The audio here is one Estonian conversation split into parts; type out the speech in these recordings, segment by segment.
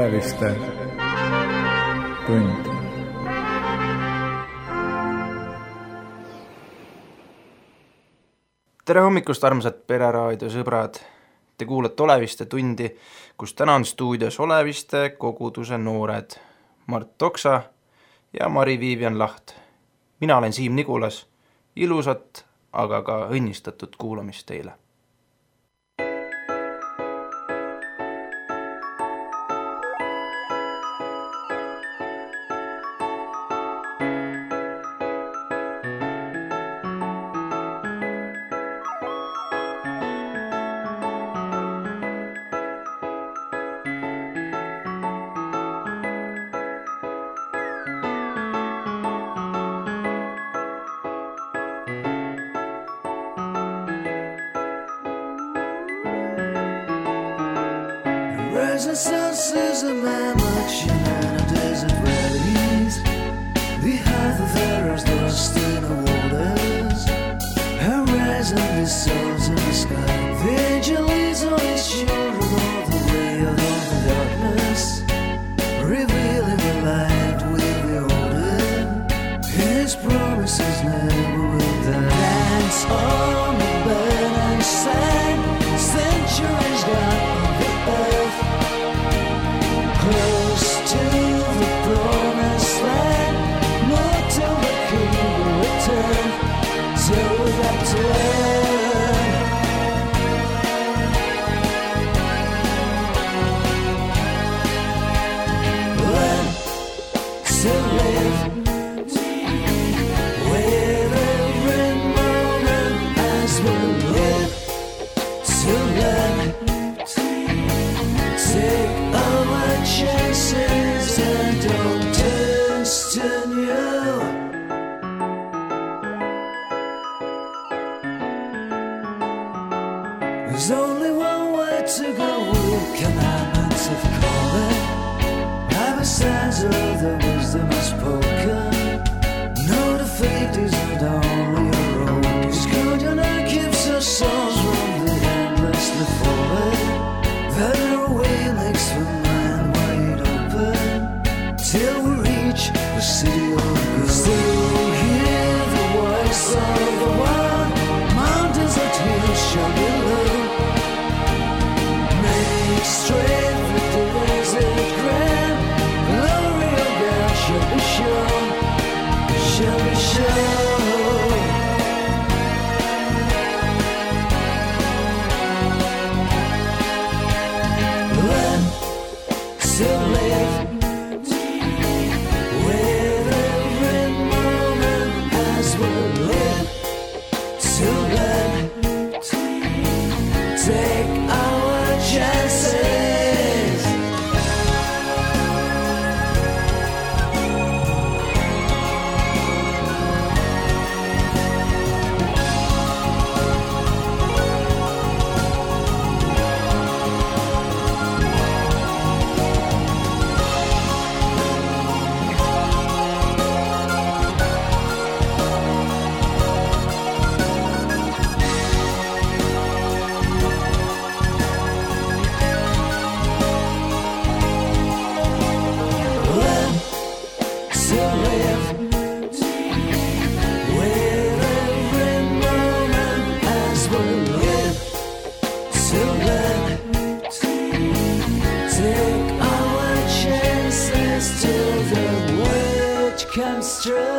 Oleviste tund. Tere hommikust, armsad Pereraadio sõbrad! Te kuulate Oleviste tundi, kus täna on stuudios Oleviste koguduse noored Mart Toksa ja Mari-Viivian Laht. Mina olen Siim Nigulas. Ilusat, aga ka õnnistatud kuulamist teile. Resistance is a mammoth in a desert valleys. Behind the pharaohs lost in the waters, horizon dissolves in the sky. The angel leads all his children all the way of the darkness, revealing the light with the order. His promises never will die. Dance on the burning sand, centuries gone on the earth. Close to the promised land, not till the king will return, till we got to learn. Learn to live with every moment as we live. To learn, take our chances and don't turn you. There's only one way to go with commandments of calling. By the signs of the wisdom is spoken. No, the fate is not only your own. It's good and it keeps our souls from the endlessly falling. That our way makes the mind wide open, till we reach the city of God. Still hear the voice of the one, mountains and hills shall be low. Make straight the desert grand, glory of God shall be shown, shall be shown. To live with every moment as we live. To learn, take our chances. Comes true.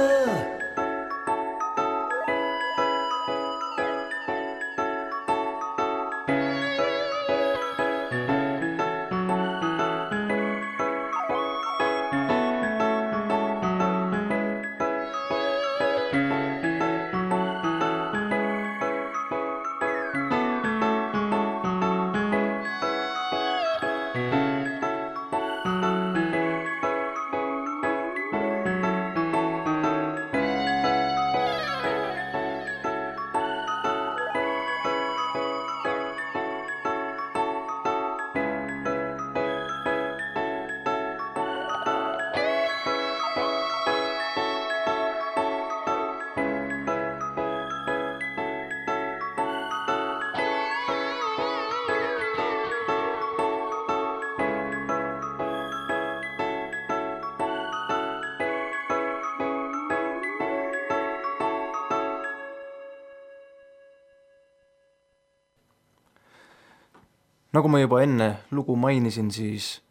Nagu ma juba enne lugu mainisin, siis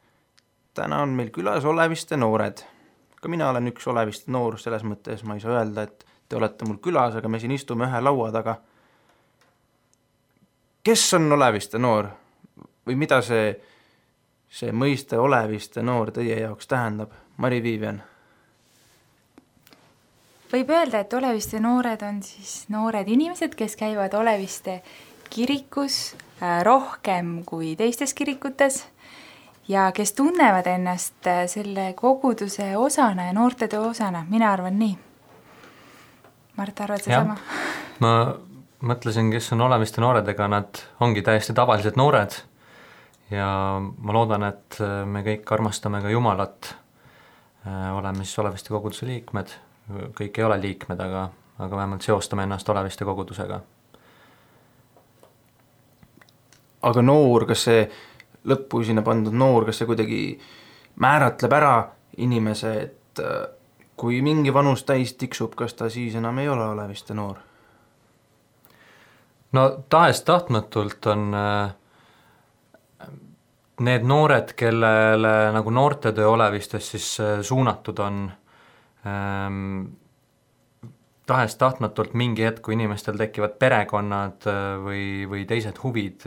täna on meil külas Oleviste noored. Ka mina olen üks Oleviste noor, selles mõttes ma ei saa öelda, et te olete mul külas, aga me siin istume ühe laua taga. Kes on Oleviste noor? Või mida see mõiste Oleviste noor teie jaoks tähendab? Mari Viivian. Võib öelda, et Oleviste noored on siis noored inimesed, kes käivad Oleviste kirikus rohkem kui teistes kirikutes ja kes tunnevad ennast selle koguduse osana ja noortetöö osana. Mina arvan nii. Mart, arvad see sama? Ma mõtlesin, kes on Oleviste noored, ega nad ongi täiesti tavalised noored ja ma loodan, et me kõik armastame ka Jumalat. Oleme siis Oleviste koguduse liikmed. Kõik ei ole liikmed, aga vähemalt seostame ennast Oleviste kogudusega. Aga noor, kas see lõppu sinna pandud noor, kas see kuidagi määratleb ära inimese, et kui mingi vanus täis tiksub, kas ta siis enam ei ole Oleviste noor? No tahes-tahtmatult on need noored, kellele nagu noortetöö Olevistes siis suunatud on, tahes-tahtmatult mingi hetk, kui inimestel tekivad perekonnad või teised huvid,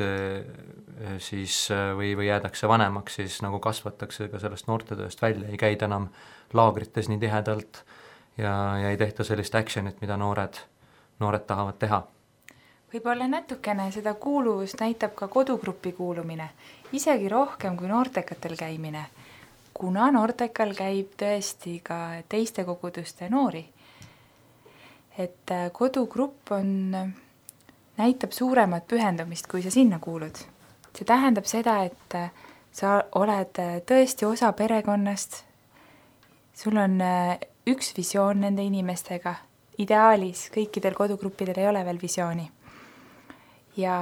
siis või jäädakse vanemaks, siis nagu kasvatakse ka sellest noortetööst välja, ei käida enam laagrites nii tihedalt ja ei tehta sellist actionit, mida noored tahavad teha. Võib-olla natukene seda kuuluvust näitab ka kodugrupi kuulumine, isegi rohkem kui noortekatel käimine, kuna noortekal käib tõesti ka teiste koguduste noori. Et kodugrupp näitab suuremat pühendumist, kui sa sinna kuulud. See tähendab seda, et sa oled tõesti osa perekonnast, sul on üks visioon nende inimestega, ideaalis kõikidel kodugruppidel ei ole veel visiooni. Ja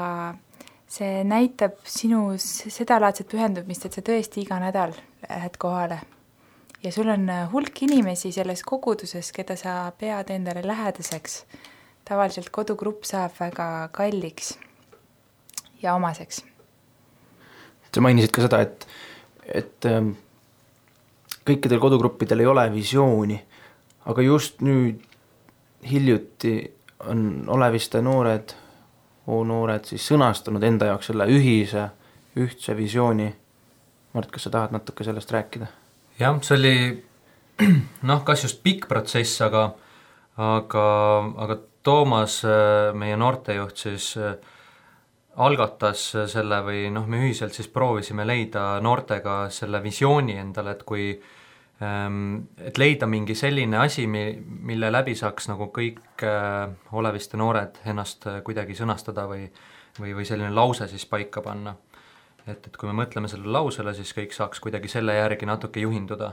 see näitab sinus sedalaadset pühendumist, et sa tõesti iga nädal lähed kohale. Ja sul on hulk inimesi selles koguduses, keda sa pead endale lähedaseks. Tavaliselt kodugrupp saab väga kalliks ja omaseks. Sa mainisid ka seda, et kõikidel kodugruppidel ei ole visiooni, aga just nüüd hiljuti on Oleviste noored siis sõnastanud enda jaoks selle ühtse visiooni. Mart, kas sa tahad natuke sellest rääkida? Jah, see oli kas just pikk protsess, aga Toomas, meie noortejuht, siis algatas selle või me ühiselt siis proovisime leida noortega selle visiooni endale, et leida mingi selline asi, mille läbi saaks nagu kõik Oleviste noored ennast kuidagi sõnastada või selline lause siis paika panna. Et kui me mõtleme selle lausele, siis kõik saaks kuidagi selle järgi natuke juhinduda.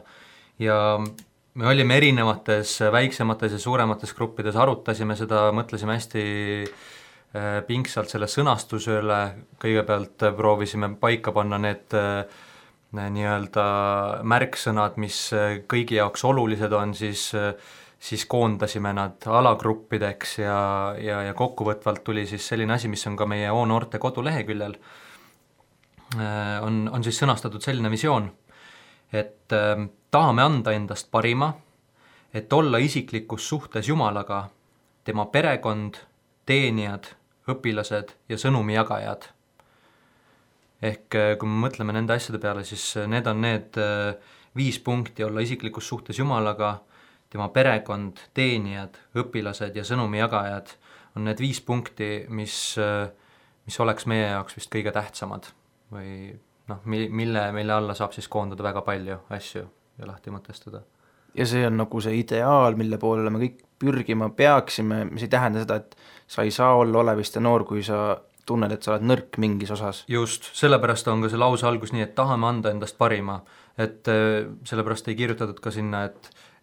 Ja me olime erinevates väiksemates ja suuremates gruppides, arutasime seda, mõtlesime hästi pingsalt selle sõnastuse üle, kõigepealt proovisime paika panna need nii-öelda märksõnad, mis kõigi jaoks olulised on, siis koondasime nad alagruppideks ja kokkuvõtvalt tuli siis selline asi, mis on ka meie O-noorte koduleheküljel. On siis sõnastatud selline visioon, et tahame anda endast parima, et olla isiklikus suhtes Jumalaga, tema perekond, teenijad, õpilased ja sõnumi jagajad. Ehk kui me mõtleme nende asjade peale, siis need on need 5 punkti: olla isiklikus suhtes Jumalaga, tema perekond, teenijad, õpilased ja sõnumi jagajad on need 5 punkti, mis oleks meie jaoks vist kõige tähtsamad või mille alla saab siis koondada väga palju asju ja lahti mõtestada. Ja see on nagu see ideaal, mille poole me kõik pürgima peaksime, mis ei tähenda seda, et sa ei saa olla Oleviste noor, kui sa tunned, et sa oled nõrk mingis osas. Just, sellepärast on ka see lause algus nii, et tahame anda endast parima, et sellepärast ei kirjutatud ka sinna,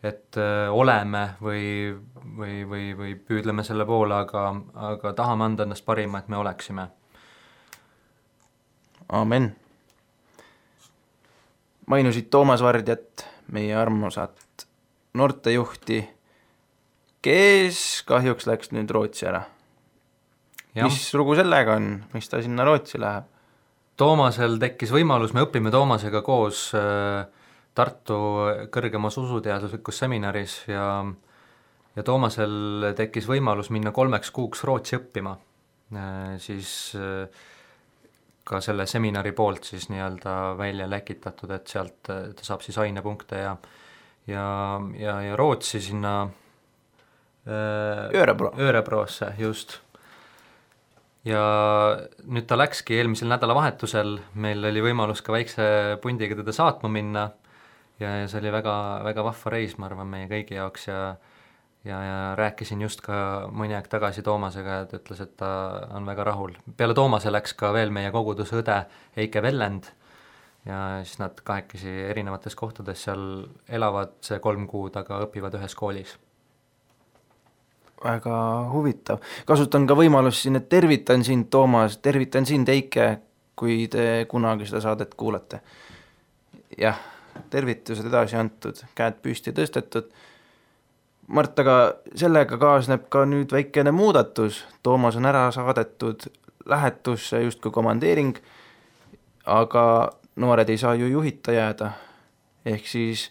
et oleme või püüdleme selle poole, aga tahame anda endast parima, et me oleksime. Amen. Mainusid Toomas Vardjat, meie armsat noortejuhti, kes kahjuks läks nüüd Rootsi ära. Ja. Mis lugu sellega on? Mis ta sinna Rootsi läheb? Toomasel tekkis võimalus, me õpime Toomasega koos Tartu kõrgemas usuteaduslikus seminaris ja Toomasel tekkis võimalus minna 3 kuuks Rootsi õppima, siis ka selle seminari poolt siis nii-öelda välja läkitatud, et sealt ta saab siis ainepunkte ja Rootsi sinna Örebroosse, just. Ja nüüd ta läkski eelmisel nädalavahetusel, meil oli võimalus ka väikse pundiga teda saatma minna ja see oli väga, väga vahva reis, ma arvan, meie kõigi jaoks ja rääkisin just ka mõni aeg tagasi Toomasega, et ütles, et ta on väga rahul. Peale Toomase läks ka veel meie koguduse õde Eike Vellend ja siis nad kahekesi erinevates kohtades seal elavad see 3 kuud, aga õpivad ühes koolis. Väga huvitav. Kasutan ka võimalust siin, et tervitan sind, Toomas, tervitan sind, Eike, kui te kunagi seda saadet kuulate. Jah, tervitused edasi antud, käed püsti tõstetud. Mart, aga sellega kaasneb ka nüüd väikene muudatus. Toomas on ära saadetud lähetusse justkui komandeering, aga noored ei saa ju juhita jääda. Ehk siis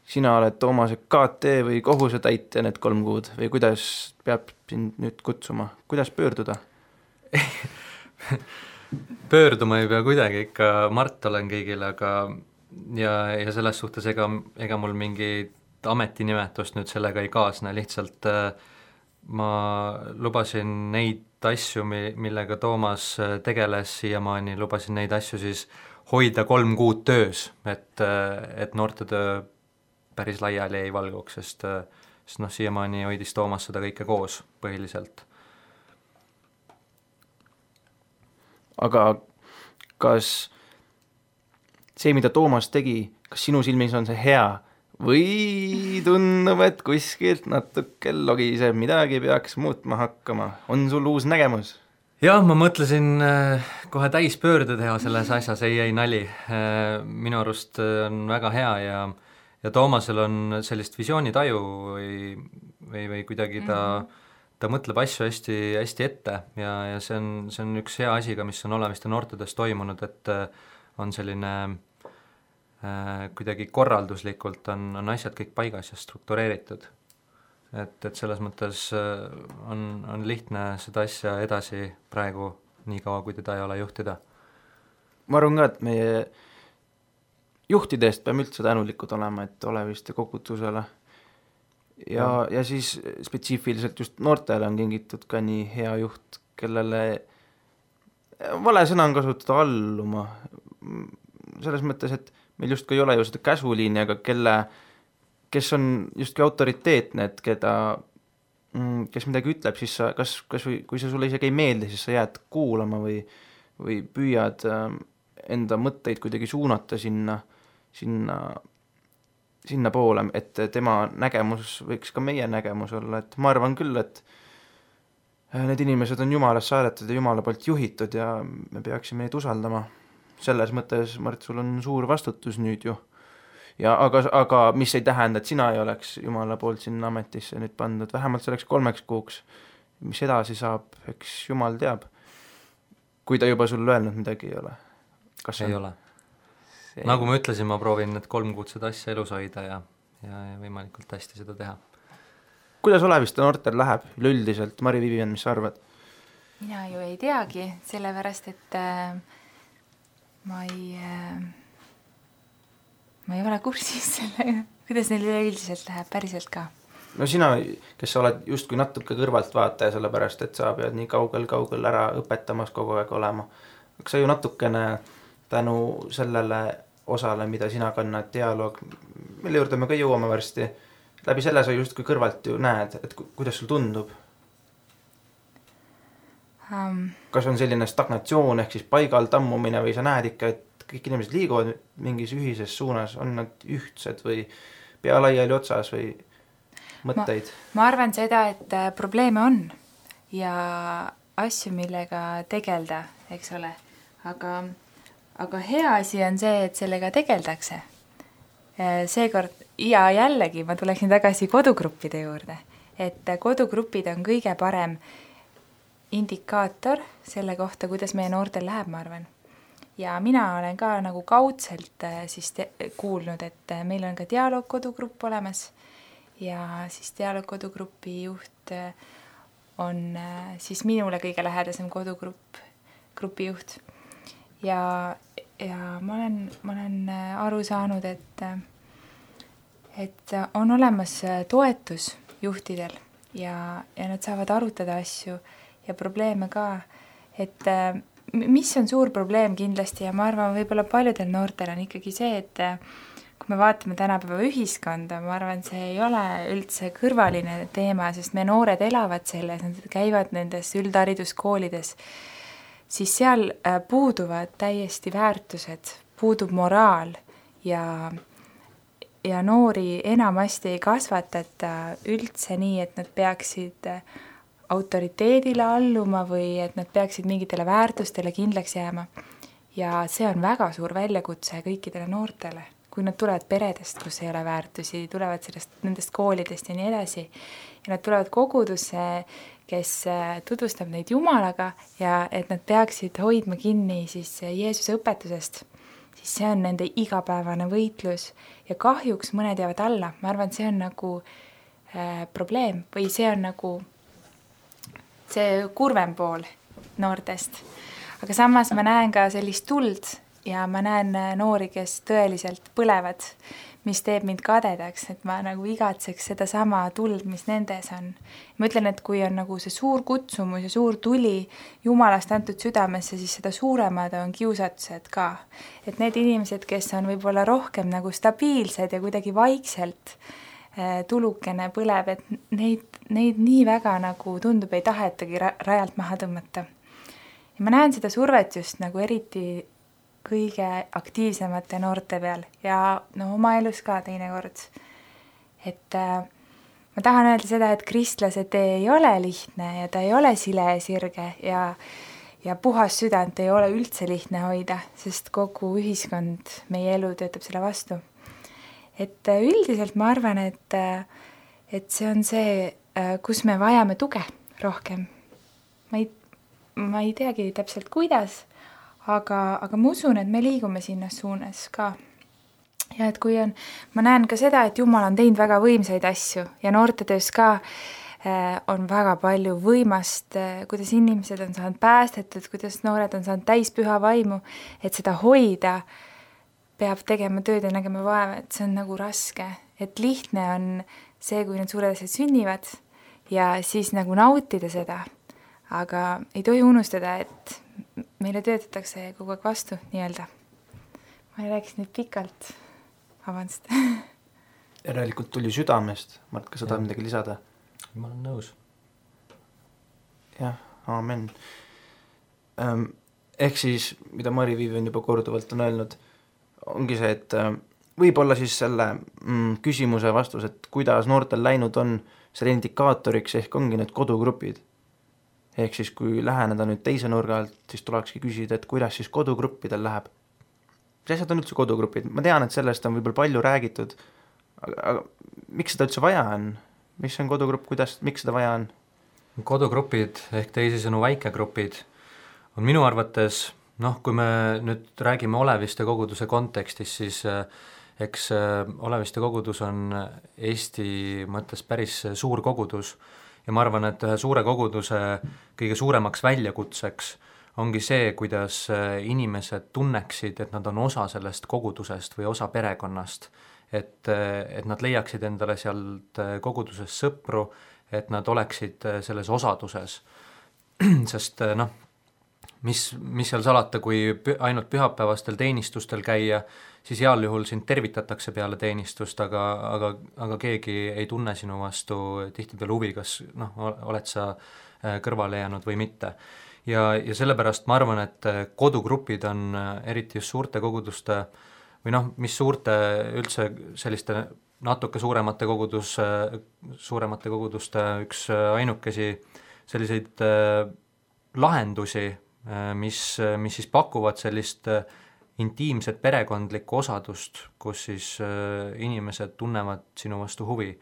sina oled Toomase KT või kohusetäitja need 3 kuud või kuidas peab sind nüüd kutsuma? Kuidas pöörduda? Pöörduma ei pea kuidagi, ikka Mart olen kõigile, aga ja selles suhtes ega mul mingi ametinimetust nüüd sellega ei kaasne, lihtsalt ma lubasin neid asju, millega Toomas tegeles siiamaani, lubasin neid asju siis hoida 3 kuud töös, et noortetöö päris laiali ei valguks, sest siiamaani hoidis Toomas seda kõike koos põhiliselt. Aga kas see, mida Toomas tegi, kas sinu silmis on see hea või tundub, et kuskilt natuke logiseb, midagi peaks muutma hakkama? On sul uus nägemus? Jah, ma mõtlesin kohe täispöörde teha selles asjas, ei nali. Minu arust on väga hea ja Toomasel on sellist visioonitaju või kuidagi ta mõtleb asju hästi, hästi ette ja see on üks hea asi ka, mis on Oleviste noortedes toimunud, et on selline kuidagi korralduslikult on asjad kõik paigas ja struktureeritud. Et selles mõttes on lihtne seda asja edasi praegu nii kaua, kui teda ei ole juhtida. Ma arvan ka, et meie juhtidest peame üldse tänulikud olema, et Oleviste kogudusele ja siis spetsiifiliselt just noortele on kingitud ka nii hea juht, kellele vale sõna on kasutada alluma, selles mõttes, et meil justkui ei ole ju seda käsuliini, aga kes on justkui autoriteetne, et kes midagi ütleb, siis sa, kas kui see sulle isegi ei meeldi, siis sa jääd kuulama või püüad enda mõtteid kuidagi suunata sinna poole, et tema nägemus võiks ka meie nägemus olla, et ma arvan küll, et need inimesed on Jumalast saadetud ja Jumala poolt juhitud ja me peaksime neid usaldama. Selles mõttes, Mart, sul on suur vastutus nüüd ju. Ja aga mis ei tähenda, et sina ei oleks Jumala poolt sinna ametisse nüüd pandud, vähemalt selleks 3 kuuks. Mis edasi saab, eks Jumal teab. Kui ta juba sul öelnud midagi ei ole. Kas ei ole. Nagu ma ütlesin, ma proovin need 3 kuud seda asja elus hoida ja võimalikult hästi seda teha. Kuidas Oleviste noortel läheb üleüldiselt? Mari Vivian, mis sa arvad? Mina ju ei teagi, sellepärast, et ma ei ole kursis sellega, kuidas neil üleüldiselt läheb päriselt ka. No sina, kes sa oled justkui natuke kõrvalt vaataja, sellepärast, et sa pead nii kaugel ära õpetamas kogu aeg olema. Aga sa ju natukene tänu sellele osale, mida sina kannad, dialoog, mille juurde me ka jõuame varsti, läbi selle sa justkui kõrvalt ju näed, et kuidas sul tundub? Kas on selline stagnatsioon ehk siis paigal tammumine või sa näed ikka, et kõik inimesed liiguvad mingis ühises suunas, on nad ühtsed või pea laiali otsas või mõtteid? Ma arvan seda, et probleeme on ja asju, millega tegelda, eks ole, aga hea asi on see, et sellega tegeldakse. Seekord ja jällegi ma tuleksin tagasi kodugruppide juurde, et kodugrupid on kõige parem indikaator selle kohta, kuidas meie noortel läheb, ma arvan. ja mina olen ka nagu kaudselt siis kuulnud, et meil on ka dialoogkodugrupp olemas ja siis dialoogkodugrupi juht on siis minule kõige lähedasem grupi juht. Ja ma olen aru saanud, et on olemas toetus juhtidel ja nad saavad arutada asju ja probleeme ka, et mis on suur probleem kindlasti ja ma arvan, võib-olla paljudel noortel on ikkagi see, et kui me vaatame tänapäeva ühiskonda, ma arvan, see ei ole üldse kõrvaline teema, sest me noored elavad selles, nad käivad nendes üldhariduskoolides, siis seal puuduvad täiesti väärtused, puudub moraal ja noori enamasti ei kasvatata üldse nii, et nad peaksid autoriteedile alluma või et nad peaksid mingitele väärtustele kindlaks jääma. Ja see on väga suur väljakutse kõikidele noortele, kui nad tulevad peredest, kus ei ole väärtusi, tulevad nendest koolidest ja nii edasi. Ja nad tulevad kogudusse, kes tutvustab neid Jumalaga ja et nad peaksid hoidma kinni siis Jeesuse õpetusest, siis see on nende igapäevane võitlus ja kahjuks mõned jäävad alla. Ma arvan, see on nagu probleem või see on nagu see kurvem pool noortest. Aga samas ma näen ka sellist tuld ja ma näen noori, kes tõeliselt põlevad, mis teeb mind kadedaks, et ma nagu igatseks seda sama tuld, mis nendes on. Ma ütlen, et kui on nagu see suur kutsumus ja suur tuli Jumalast antud südamesse, siis seda suuremad on kiusatused ka. Et need inimesed, kes on võib-olla rohkem nagu stabiilsed ja kuidagi vaikselt tulukene põleb, et neid nii väga nagu tundub ei tahetagi rajalt maha tõmmata. Ja ma näen seda survet just nagu eriti kõige aktiivsemate noorte peal ja oma elus ka teinekord. Et ma tahan öelda seda, et kristlase tee ei ole lihtne ja ta ei ole sile ja sirge ja puhas südant ei ole üldse lihtne hoida, sest kogu ühiskond, meie elu töötab selle vastu. Et üldiselt ma arvan, et see on see, kus me vajame tuge rohkem. Ma ei teagi täpselt kuidas, aga ma usun, et me liigume sinna suunas ka. Ja et kui ma näen ka seda, et Jumal on teinud väga võimsaid asju ja noortetöös ka on väga palju võimast, kuidas inimesed on saanud päästetud, kuidas noored on saanud täis püha vaimu, et seda hoida peab tegema tööd ja nägema vaeva, et see on nagu raske. Et lihtne on see, kui need suured asjad sünnivad ja siis nagu nautida seda. Aga ei tohi unustada, et meile töötatakse kogu aeg vastu, nii-öelda. Ma rääkisin nüüd pikalt. Vabandust. Järelikult tuli südamest. Mart, kas sa tahad midagi lisada? Ma olen nõus. Jah, aamen. Ehk siis, mida Mari Viivian juba korduvalt on öelnud, ongi see, et võib-olla siis selle küsimuse vastus, et kuidas noortel läinud on, selle indikaatoriks ehk ongi need kodugrupid. Ehk siis, kui läheneda nüüd teise nurga alt, siis tulekski küsida, et kuidas siis kodugruppidel läheb. Mis asjad on üldse kodugrupid? Ma tean, et sellest on võib-olla palju räägitud, aga miks seda üldse vaja on? Mis on kodugrupp, miks seda vaja on? Kodugrupid ehk teisisõnu väikegrupid on minu arvates, kui me nüüd räägime Oleviste koguduse kontekstis, siis eks Oleviste kogudus on Eesti mõttes päris suur kogudus ja ma arvan, et ühe suure koguduse kõige suuremaks väljakutseks ongi see, kuidas inimesed tunneksid, et nad on osa sellest kogudusest või osa perekonnast, et nad leiaksid endale sealt koguduses sõpru, et nad oleksid selles osaduses. Sest mis seal salata, kui ainult pühapäevastel teenistustel käia, siis heal juhul sind tervitatakse peale teenistust, aga keegi ei tunne sinu vastu tihtipeale huvi, kas oled sa kõrvale jäänud või mitte. Ja sellepärast ma arvan, et kodugrupid on eriti just suurte koguduste või mis suurte üldse selliste natuke suuremate koguduste üks ainukesi selliseid lahendusi, mis siis pakuvad sellist intiimset perekondlikku osadust, kus siis inimesed tunnevad sinu vastu huvi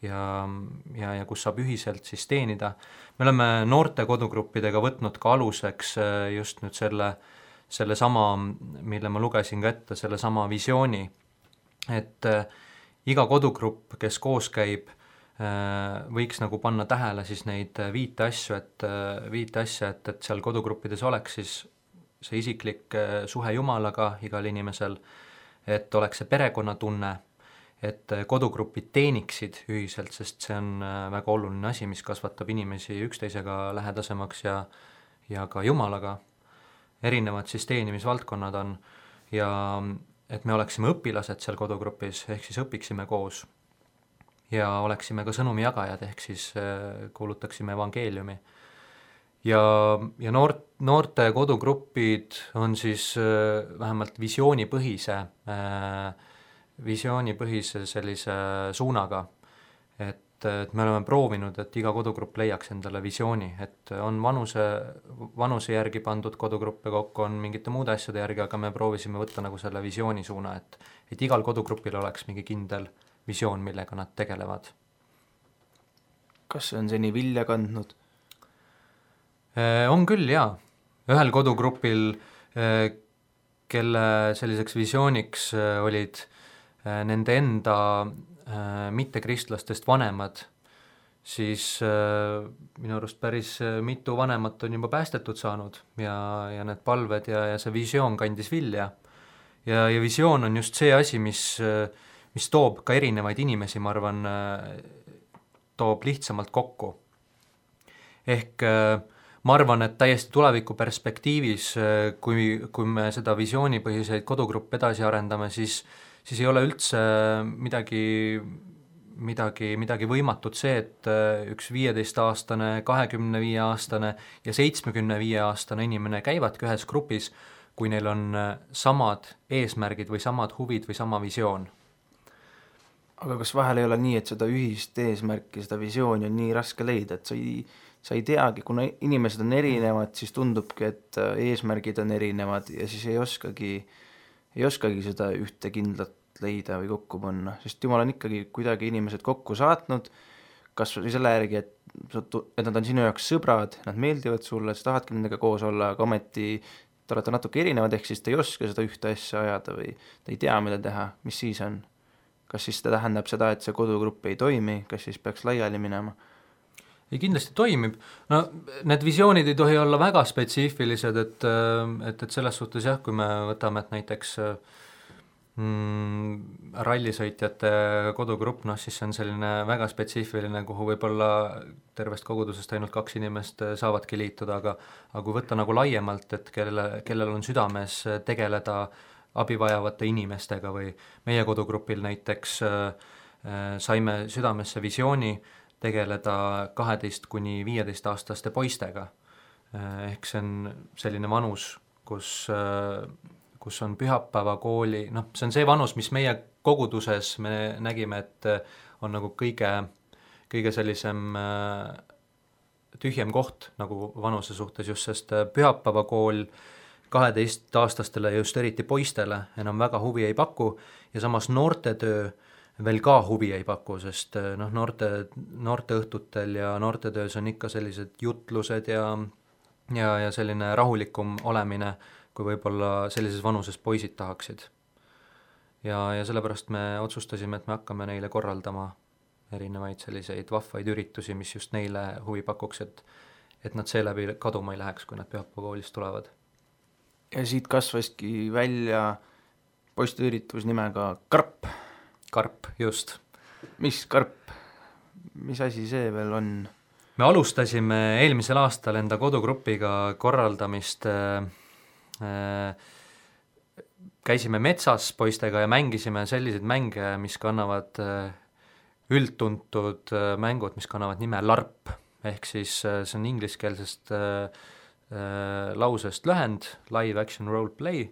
ja kus saab ühiselt siis teenida. Me oleme noorte kodugruppidega võtnud ka aluseks just nüüd selle sama, mille ma lugesin ka ette, selle sama visiooni, et iga kodugrupp, kes koos käib, võiks nagu panna tähele siis neid viite asja, et seal kodugruppides oleks siis see isiklik suhe Jumalaga igal inimesel, et oleks see perekonnatunne, et kodugrupid teeniksid ühiselt, sest see on väga oluline asi, mis kasvatab inimesi üksteisega lähedasemaks ja ka Jumalaga. Erinevad siis teenimisvaldkonnad on ja et me oleksime õpilased seal kodugrupis, ehk siis õpiksime koos ja oleksime ka sõnumi jagajad, ehk siis kuulutaksime evangeeliumi. Ja noorte kodugrupid on siis vähemalt visioonipõhise sellise suunaga, et me oleme proovinud, et iga kodugrupp leiaks endale visiooni, et on vanuse järgi pandud kodugruppe kokku, on mingite muude asjade järgi, aga me proovisime võtta nagu selle visiooni suuna, et igal kodugrupil oleks mingi kindel visioon, millega nad tegelevad. Kas see on seni vilja kandnud? On küll, jaa. Ühel kodugrupil, kelle selliseks visiooniks olid nende enda mittekristlastest vanemad, siis minu arust päris mitu vanemat on juba päästetud saanud ja need palved ja see visioon kandis vilja. Ja visioon on just see asi, mis toob ka erinevaid inimesi, ma arvan, toob lihtsamalt kokku. Ehk ma arvan, et täiesti tuleviku perspektiivis, kui me seda visioonipõhiseid kodugruppe edasi arendame, siis ei ole üldse midagi võimatut see, et üks 15-aastane, 25-aastane ja 75-aastane inimene käivadki ühes grupis, kui neil on samad eesmärgid või samad huvid või sama visioon. Aga kas vahel ei ole nii, et seda ühist eesmärki, seda visiooni on nii raske leida, et sa ei teagi, kuna inimesed on erinevad, siis tundubki, et eesmärgid on erinevad ja siis ei oskagi seda ühte kindlat leida või kokku panna, sest Jumal on ikkagi kuidagi inimesed kokku saatnud, kas või selle järgi, et nad on sinu jaoks sõbrad, nad meeldivad sulle, sa tahadki nendega koos olla, aga ometi te olete natuke erinevad, ehk siis te ei oska seda ühte asja ajada või te ei tea, mida teha, mis siis on? Kas siis ta tähendab seda, et see kodugrupp ei toimi, kas siis peaks laiali minema? Ei, kindlasti toimib. No need visioonid ei tohi olla väga spetsiifilised, et selles suhtes jah, kui me võtame, et näiteks rallisõitjate kodugrupp, siis see on selline väga spetsiifiline, kuhu võib-olla tervest kogudusest ainult 2 inimest saavadki liituda, aga kui võtta nagu laiemalt, et kellel on südames tegeleda abivajavate inimestega või meie kodugrupil näiteks saime südamesse visiooni tegeleda 12–15-aastaste poistega. Ehk see on selline vanus, kus on pühapäevakooli, see on see vanus, mis meie koguduses me nägime, et on nagu kõige sellisem tühjem koht nagu vanuse suhtes just, sest pühapäevakool 12-aastastele just eriti poistele enam väga huvi ei paku ja samas noortetöö veel ka huvi ei paku, sest noorte õhtutel ja noortetöös on ikka sellised jutlused ja selline rahulikum olemine, kui võib-olla sellises vanuses poisid tahaksid. Ja sellepärast me otsustasime, et me hakkame neile korraldama erinevaid selliseid vahvaid üritusi, mis just neile huvi pakuks, et nad seeläbi kaduma ei läheks, kui nad pühapäevakoolist tulevad. Ja siit kasvaski välja poisteüritus nimega Karp. Karp, just. Mis Karp? Mis asi see veel on? Me alustasime eelmisel aastal enda kodugrupiga korraldamist, käisime metsas poistega ja mängisime selliseid mänge, mis kannavad üldtuntud mängud, mis kannavad nime LARP, ehk siis see on ingliskeelsest lausest lühend, live action role play,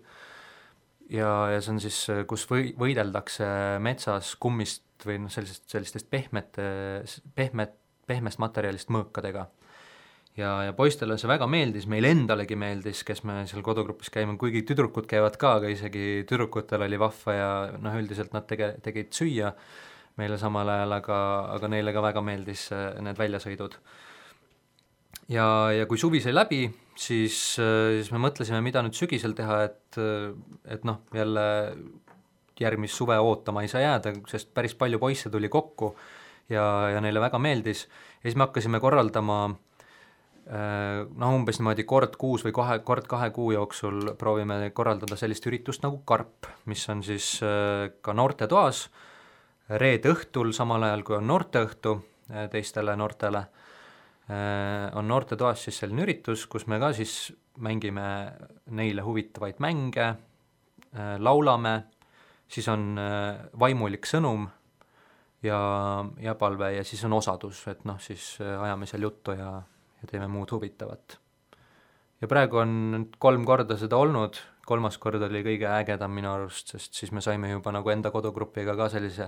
ja see on siis, kus võideldakse metsas kummist või sellistest pehmest materjalist mõõkadega. Ja poistele see väga meeldis, meil endalegi meeldis, kes me seal kodugrupis käime, kuigi tüdrukud käivad ka, aga isegi tüdrukutel oli vahva ja üldiselt nad tegid süüa meile samal ajal, aga neile ka väga meeldis need väljasõidud. ja kui suvi sai läbi, siis me mõtlesime, mida nüüd sügisel teha, et noh, jälle järgmist suve ootama ei saa jääda, sest päris palju poisse tuli kokku ja neile väga meeldis. Ja siis me hakkasime korraldama umbes niimoodi kord kuus või kord 2 kuu jooksul proovime korraldada sellist üritust nagu Karp, mis on siis ka noortetoas reede õhtul, samal ajal kui on noorteõhtu teistele noortele, on noortetoas siis selline üritus, kus me ka siis mängime neile huvitavaid mänge, laulame, siis on vaimulik sõnum ja palve ja siis on osadus, et noh, siis ajame seal juttu ja teeme muud huvitavat. Ja praegu on 3 korda seda olnud, 3. kord oli kõige ägedam minu arust, sest siis me saime juba nagu enda kodugrupiga ka sellise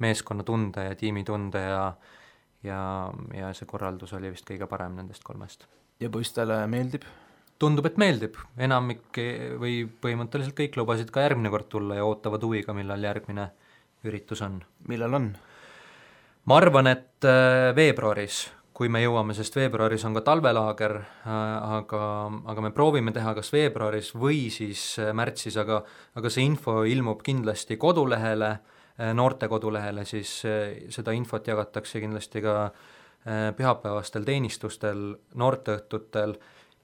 meeskonnatunde ja tiimitunde ja see korraldus oli vist kõige parem nendest 3. Ja poistele meeldib? Tundub, et meeldib, enamik või põhimõtteliselt kõik lubasid ka järgmine kord tulla ja ootavad huviga, millal järgmine üritus on. Millal on? Ma arvan, et veebruaris, kui me jõuame, sest veebruaris on ka talvelaager, aga me proovime teha kas veebruaris või siis märtsis, aga see info ilmub kindlasti kodulehele, noorte kodulehele, siis seda infot jagatakse kindlasti ka pühapäevastel teenistustel, noorteõhtutel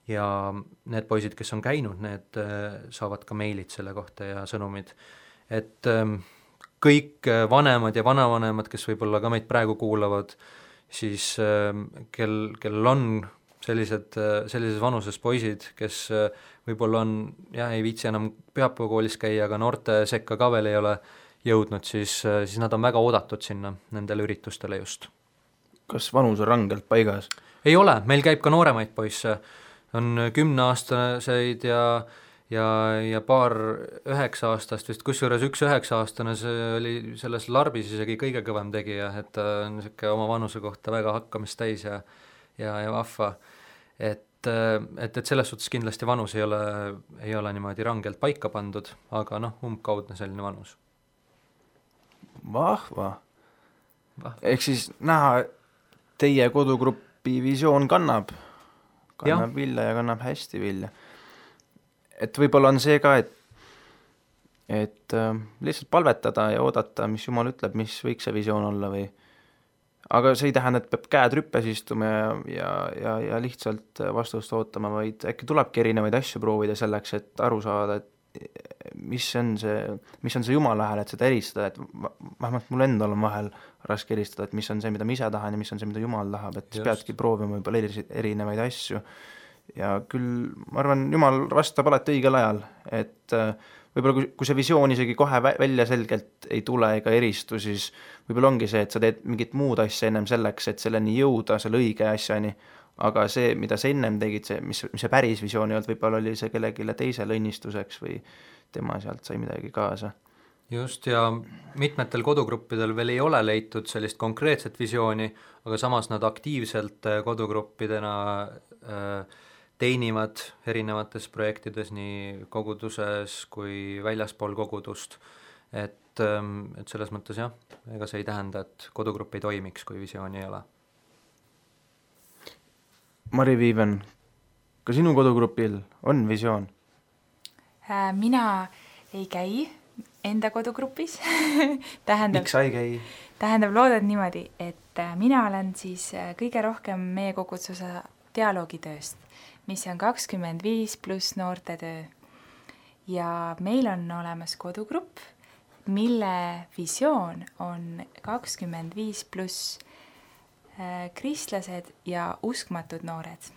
ja need poisid, kes on käinud, need saavad ka meilid selle kohta ja sõnumid. Et kõik vanemad ja vanavanemad, kes võib-olla ka meid praegu kuulavad, siis kellel on sellises vanuses poisid, kes võib-olla on, ei viitsi enam pühapäevakoolis käia, aga noorte sekka ka veel ei ole jõudnud, siis nad on väga oodatud sinna nendele üritustele just. Kas vanus on rangelt paigas? Ei ole, meil käib ka nooremaid poisse, on 10-aastaseid ja paar 9-aastast vist, kusjuures üks 9-aastane, see oli selles larbis isegi kõige kõvem tegija, et ta on niisugune oma vanuse kohta väga hakkamist täis ja vahva, et selles suhtes kindlasti vanus ei ole niimoodi rangelt paika pandud, aga noh, umbkaudne selline vanus. Vahva. Ehk siis näha, teie kodugrupi visioon kannab vilja ja kannab hästi vilja. Et võib-olla on see ka, et lihtsalt palvetada ja oodata, mis Jumal ütleb, mis võiks see visioon olla või. Aga see ei tähenda, et peab käed rüppes istuma ja lihtsalt vastust ootama, vaid äkki tulebki erinevaid asju proovida selleks, et aru saada, et mis on see Jumala hääl, et seda eristada, et vähemalt mul endal on vahel raske eristada, et mis on see, mida ma ise tahan ja mis on see, mida Jumal tahab, et just peadki proovima võib-olla erinevaid asju. Ja küll, ma arvan, Jumal vastab alati õigel ajal, et võib-olla kui see visioon isegi kohe välja selgelt ei tule ega eristu, siis võib-olla ongi see, et sa teed mingit muud asja ennem selleks, et selleni jõuda, selle õige asjani, aga see, mida sa ennem tegid, mis see päris visioon ei olnud, võib-olla oli see kellegile teisele õnnistuseks või tema sealt sai midagi kaasa. Just, ja mitmetel kodugruppidel veel ei ole leitud sellist konkreetset visiooni, aga samas nad aktiivselt kodugruppidena teenivad erinevates projektides nii koguduses kui väljaspool kogudust, et selles mõttes jah, ega see ei tähenda, et kodugrupp ei toimiks, kui visiooni ei ole. Mari Viiven, ka sinu kodugrupil on visioon? Mina ei käi enda kodugrupis. Miks sa ei käi? Tähendab, loodad niimoodi, et mina olen siis kõige rohkem meie koguduse dialoogitööst, mis on 25+ noortetöö. Ja meil on olemas kodugrupp, mille visioon on 25+ kristlased ja uskmatud noored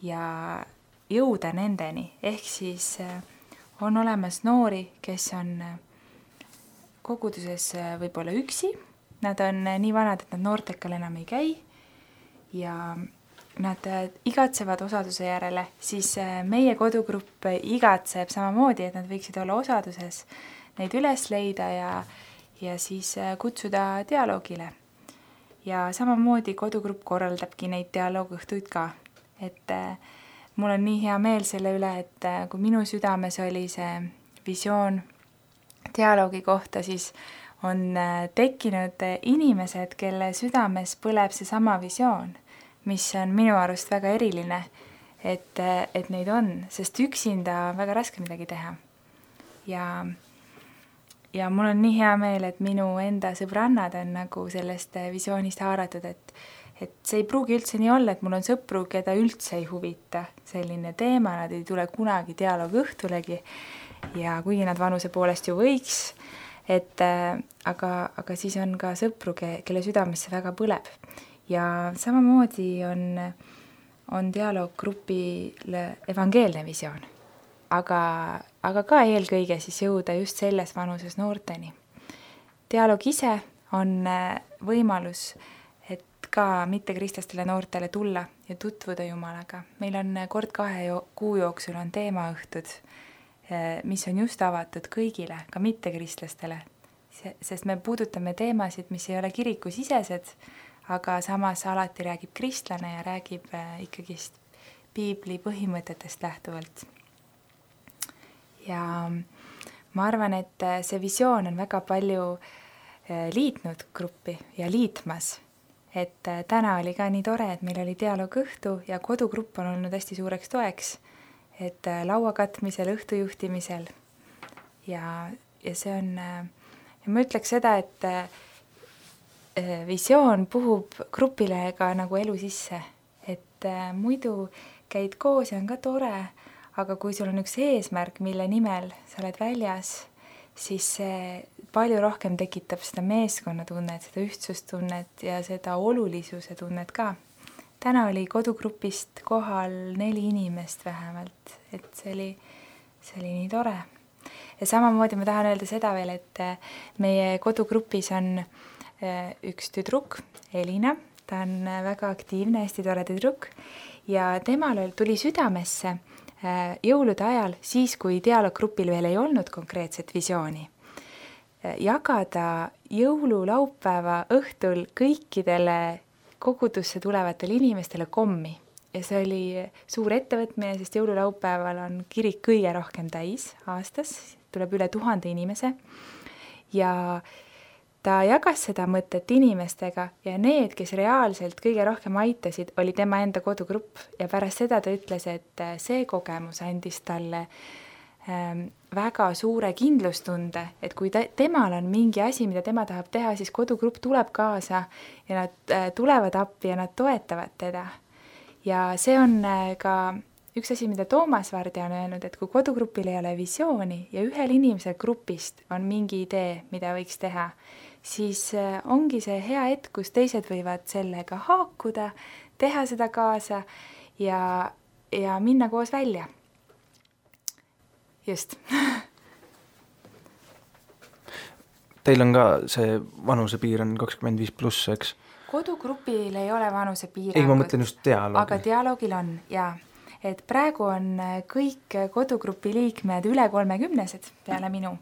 ja jõuda nendeni, ehk siis on olemas noori, kes on koguduses võib-olla üksi, nad on nii vanad, et nad noortekal enam ei käi ja nad igatsevad osaduse järele, siis meie kodugrupp igatseb samamoodi, et nad võiksid olla osaduses, neid üles leida ja siis kutsuda dialoogile. Ja samamoodi kodugrupp korraldabki neid dialoogõhtuid ka, et mul on nii hea meel selle üle, et kui minu südames oli see visioon dialoogi kohta, siis on tekkinud inimesed, kelle südames põleb see sama visioon. mis on minu arust väga eriline, et neid on, sest üksinda on väga raske midagi teha. Ja mul on nii hea meel, et minu enda sõbrannad on nagu sellest visioonist haaratud, et see ei pruugi üldse nii olla, et mul on sõpru, keda üldse ei huvita selline teema, nad ei tule kunagi dialoogi õhtulegi ja kuigi nad vanuse poolest ju võiks, aga siis on ka sõpru, kelle südamesse väga põleb. Ja samamoodi on dialooggrupil evangeelne visioon, aga ka eelkõige siis jõuda just selles vanuses noorteni. Dialoog ise on võimalus, et ka mittekristlastele noortele tulla ja tutvuda Jumalaga. Meil on kord 2 kuu jooksul on teemaõhtud, mis on just avatud kõigile, ka mittekristlastele, sest me puudutame teemasid, mis ei ole kirikusisesed, aga samas alati räägib kristlane ja räägib ikkagist piibli põhimõtetest lähtuvalt. Ja ma arvan, et see visioon on väga palju liitnud gruppi ja liitmas, et täna oli ka nii tore, et meil oli dialoogõhtu ja kodugrupp on olnud hästi suureks toeks, et laua katmisel, õhtujuhtimisel ja see on, ja ma ütleks seda, et visioon puhub grupile ka nagu elu sisse, et muidu käid koos ja on ka tore, aga kui sul on üks eesmärk, mille nimel sa oled väljas, siis see palju rohkem tekitab seda meeskonnatunnet, seda ühtsustunnet ja seda olulisuse tunnet ka. Täna oli kodugrupist kohal 4 inimest vähemalt, et see oli nii tore. Ja samamoodi ma tahan öelda seda veel, et meie kodugrupis on üks tüdruk, Elina, ta on väga aktiivne, hästi tore tüdruk ja temal tuli südamesse jõulude ajal, siis kui dialooggrupil veel ei olnud konkreetset visiooni, jagada jõululaupäeva õhtul kõikidele kogudusse tulevatele inimestele kommi. Ja see oli suur ettevõtmine, sest jõululaupäeval on kirik kõige rohkem täis aastas, tuleb üle 1000 inimese ja ta jagas seda mõtet inimestega ja need, kes reaalselt kõige rohkem aitasid, oli tema enda kodugrupp ja pärast seda ta ütles, et see kogemus andis talle väga suure kindlustunde, et kui temal on mingi asi, mida tema tahab teha, siis kodugrupp tuleb kaasa ja nad tulevad appi ja nad toetavad teda. Ja see on ka üks asi, mida Toomas Vardja on öelnud, et kui kodugrupil ei ole visiooni ja ühel inimesel grupist on mingi idee, mida võiks teha, siis ongi see hea hetk, kus teised võivad sellega haakuda, teha seda kaasa ja minna koos välja. Just. Teil on ka see vanusepiir on 25+, eks? Kodugrupil ei ole vanusepiirangut. Ei, ma mõtlen just dialoogil. Aga dialoogil on, jaa. Et praegu on kõik kodugrupi liikmed üle 30-sed peale minu.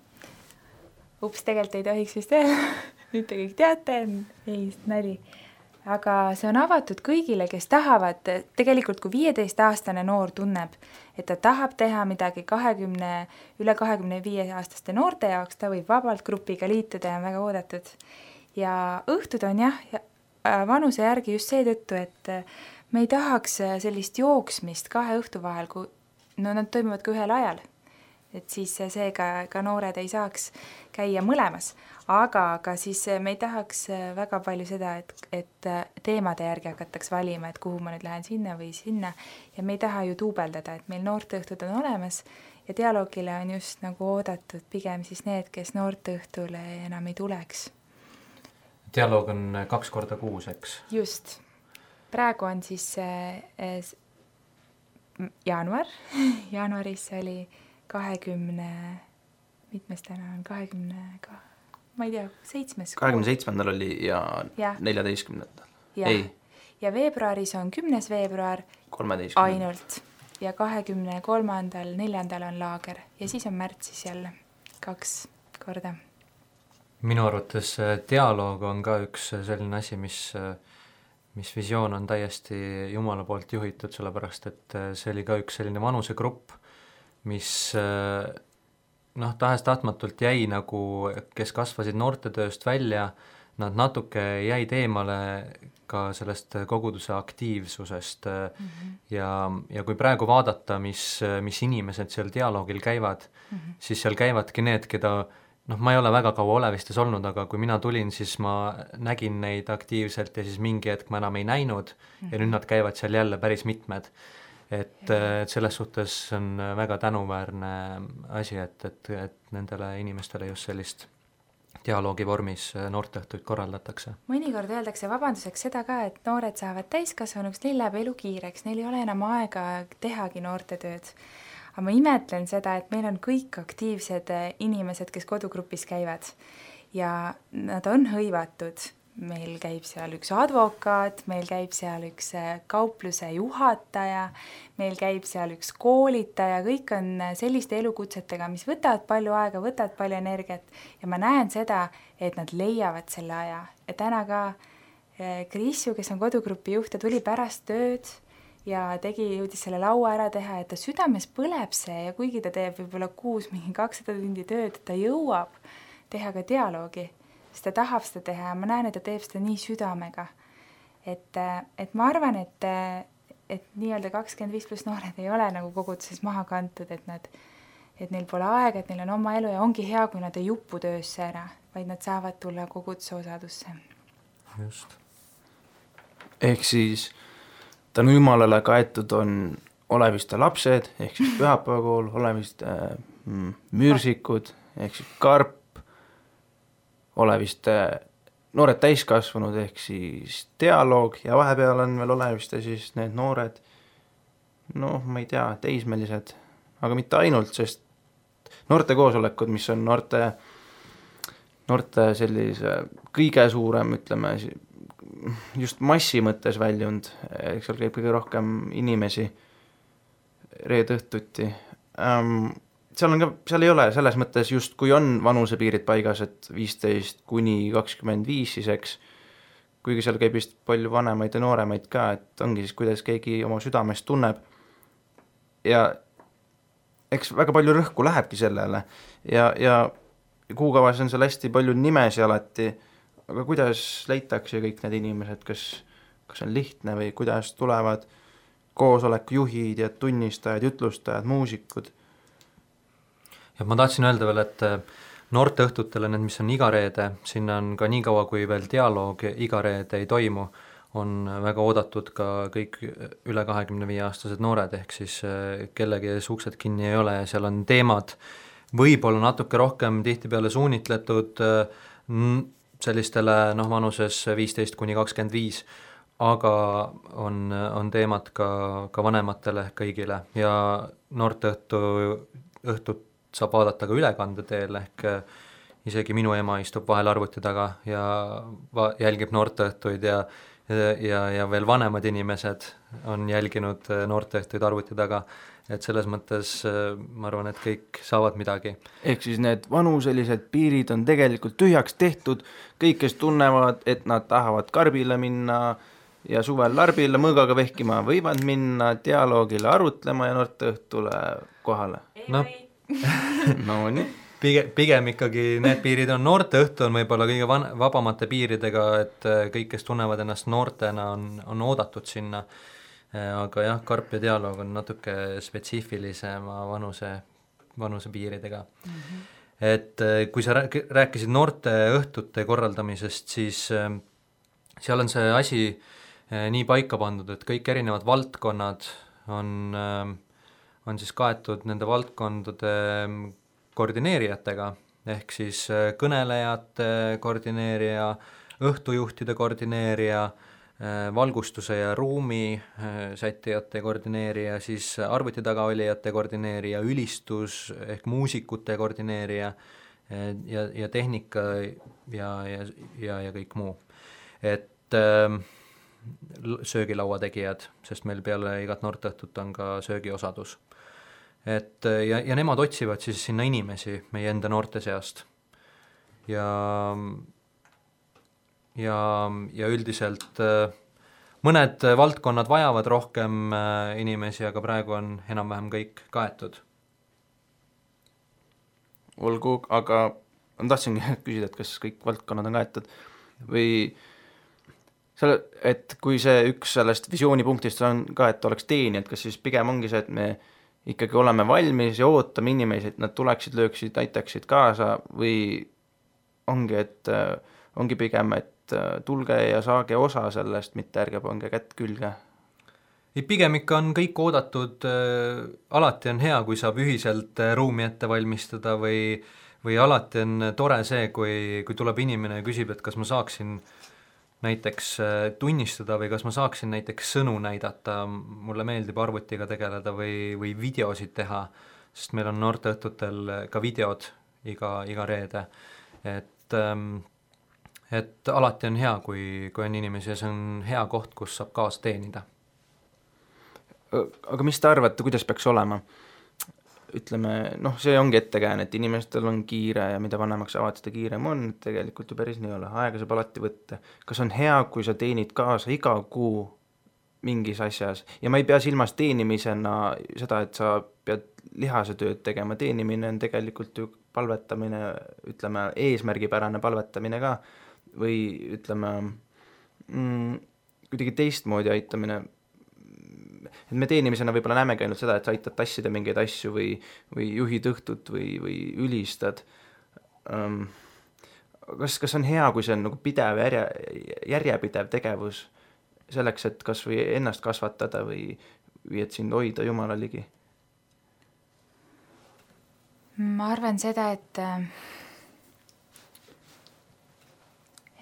Ups, tegelikult ei tohiks vist öelda. Nüüd te kõik teate, ei, nali. Aga see on avatud kõigile, kes tahavad, tegelikult kui 15-aastane noor tunneb, et ta tahab teha midagi üle 25-aastaste noorte jaoks, ta võib vabalt grupiga liituda ja on väga oodatud. Ja õhtud on vanuse järgi just seetõttu, et me ei tahaks sellist jooksmist 2 õhtu vahel, kui nad toimuvad ka ühel ajal. Et siis seega ka noored ei saaks käia mõlemas. Aga siis me ei tahaks väga palju seda, et teemade järgi hakataks valima, et kuhu ma nüüd lähen sinna või sinna. Ja me ei taha ju duubeldada, et meil noorteõhtud on olemas ja dialoogile on just nagu oodatud pigem siis need, kes noorteõhtule enam ei tuleks. Dialoog on 2 korda kuus, eks? Just. Praegu on siis jaanuar. Jaanuaris oli 20, mitmes täna on 20, ma ei tea, 7. 27. oli ja 14. Ei. Ja veebruaris on 10. veebruar 13. ainult ja 23. 4. on laager ja siis on märtsis jälle 2 korda. Minu arvates dialoog on ka üks selline asi, mis visioon on täiesti Jumala poolt juhitud, sellepärast et see oli ka üks selline vanusegrupp, mis tahes-tahtmatult jäi nagu, kes kasvasid noortetööst välja, nad natuke jäid eemale ka sellest koguduse aktiivsusest ja kui praegu vaadata, mis inimesed seal dialoogil käivad, siis seal käivadki need, keda ma ei ole väga kaua Olevistes olnud, aga kui mina tulin, siis ma nägin neid aktiivselt ja siis mingi hetk ma enam ei näinud ja nüüd nad käivad seal jälle päris mitmed. Et selles suhtes on väga tänuväärne asi, et nendele inimestele just sellist dialoogi vormis noorteõhtuid korraldatakse. Mõnikord öeldakse vabanduseks seda ka, et noored saavad täiskasvanuks, neil läheb elu kiireks, neil ei ole enam aega tehagi noortetööd. Aga ma imetlen seda, et meil on kõik aktiivsed inimesed, kes kodugrupis käivad ja nad on hõivatud. Meil käib seal üks advokaat, meil käib seal üks kaupluse juhataja, meil käib seal üks koolitaja, kõik on selliste elukutsetega, mis võtavad palju aega, võtavad palju energiat ja ma näen seda, et nad leiavad selle aja. Ja täna ka Krisju, kes on kodugrupi juht, ta tuli pärast tööd ja jõudis selle laua ära teha, et ta südames põleb see ja kuigi ta teeb võib-olla kuus mingi 200 tundi tööd, ta jõuab teha ka dialoogi. Sest ta tahab seda teha ja ma näen, et ta teeb seda nii südamega. Et ma arvan, et nii-öelda 25+ noored ei ole nagu koguduses maha kantud, et neil pole aega, et neil on oma elu ja ongi hea, kui nad ei jupu töösse ära, vaid nad saavad tulla koguduse osadusse. Just. Ehk siis tänu Jumalale kaetud on Oleviste lapsed, ehk siis pühapäevakool, Oleviste müürsikud, ehk siis Karp, Oleviste noored täiskasvanud ehk siis dialoog ja vahepeal on veel Oleviste siis need noored, ma ei tea, teismelised, aga mitte ainult, sest noorte koosolekud, mis on noorte sellise kõige suurem, ütleme, just massi mõttes väljund, eks seal käib kõige rohkem inimesi reede õhtuti. Seal ei ole selles mõttes just, kui on vanusepiirid paigas, et 15 kuni 25 siis, eks, kuigi seal käib vist palju vanemaid ja nooremaid ka, et ongi siis, kuidas keegi oma südamest tunneb. Ja eks väga palju rõhku lähebki sellele ja kuukavas on seal hästi palju nimesi alati, aga kuidas leitakse kõik need inimesed, kas on lihtne või kuidas tulevad koosoleku juhid ja tunnistajad, jutlustajad, muusikud? Ja ma tahtsin öelda veel, et noorteõhtutele need, mis on iga reede, sinna on ka nii kaua, kui veel dialoog iga reede ei toimu, on väga oodatud ka kõik üle 25-aastased noored, ehk siis kellegi uksed kinni ei ole ja seal on teemad võib-olla natuke rohkem tihtipeale suunitletud sellistele vanuses 15 kuni 25, aga on teemad ka vanematele kõigile ja noorteõhtut saab vaadata ka ülekande teel, ehk isegi minu ema istub vahel arvuti taga ja jälgib noorteõhtuid ja veel vanemad inimesed on jälginud noorteõhtuid arvuti taga, et selles mõttes ma arvan, et kõik saavad midagi. Ehk siis need vanuselised piirid on tegelikult tühjaks tehtud, kõik, kes tunnevad, et nad tahavad karbile minna ja suvel larbile mõõgaga vehkima, võivad minna dialoogile arutlema ja noorteõhtule kohale. No nii. Pigem ikkagi need piirid on, noorteõhtu on võib-olla kõige vabamate piiridega, et kõik, kes tunnevad ennast noortena, on oodatud sinna, aga jah, Karp ja dialoog on natuke spetsiifilisema vanuse piiridega. Et kui sa rääkisid noorteõhtute korraldamisest, siis seal on see asi nii paika pandud, et kõik erinevad valdkonnad on siis kaetud nende valdkondade koordineerijatega, ehk siis kõnelejate koordineerija, õhtujuhtide koordineerija, valgustuse ja ruumi sättijate koordineerija, siis arvuti taga olijate koordineerija, ülistus ehk muusikute koordineerija ja tehnika ja kõik muu. Et söögilaua tegijad, sest meil peale igat noorteõhtut on ka söögiosadus. Et ja nemad otsivad siis sinna inimesi meie enda noorte seast. Ja üldiselt mõned valdkonnad vajavad rohkem inimesi, aga praegu on enam-vähem kõik kaetud. Olgu, aga tahtsin küsida, et kas kõik valdkonnad on kaetud või et kui see üks sellest visioonipunktist on ka, et oleks teenijad, kas siis pigem ongi see, et me ikkagi oleme valmis ja ootame inimesi, et nad tuleksid, lööksid, aitaksid kaasa või ongi, et ongi pigem, et tulge ja saage osa sellest, mitte ärge pange kätt külge? Ei, pigem ikka on kõik oodatud, alati on hea, kui saab ühiselt ruumi ette valmistada või alati on tore see, kui tuleb inimene ja küsib, et kas ma saaksin näiteks tunnistada või kas ma saaksin näiteks sõnu näidata, mulle meeldib arvutiga tegeleda või videosid teha, sest meil on noorteõhtutel ka videod iga reede, et alati on hea, kui on inimesi ja see on hea koht, kus saab kaasa teenida. Aga mis te arvate, kuidas peaks olema? Ütleme, see ongi ettekääne, et inimestel on kiire ja mida vanemaks saavad, seda kiirem on, tegelikult ju päris nii ole, aega saab alati võtta. Kas on hea, kui sa teenid kaasa iga kuu mingis asjas ja ma ei pea silmas teenimisena seda, et sa pead lihase tööd tegema, teenimine on tegelikult ju palvetamine, ütleme eesmärgipärane palvetamine ka või ütleme kuidagi teistmoodi aitamine. Et me teenimisena võib-olla näemegi ainult seda, et sa aitad tassida mingeid asju või juhid õhtut või ülistad. Kas on hea, kui see on nagu pidev järjepidev tegevus selleks, et kas või ennast kasvatada või et sind hoida Jumala ligi? Ma arvan seda,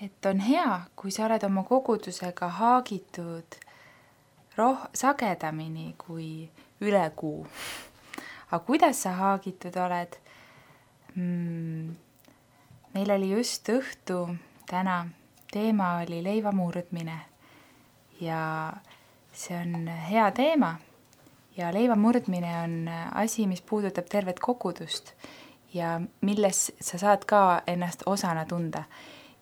et on hea, kui sa oled oma kogudusega haagitud sagedamini kui üle kuu. Aga kuidas sa haagitud oled? Meil oli just õhtu täna, teema oli leiva murdmine ja see on hea teema ja leiva murdmine on asi, mis puudutab tervet kogudust ja milles sa saad ka ennast osana tunda.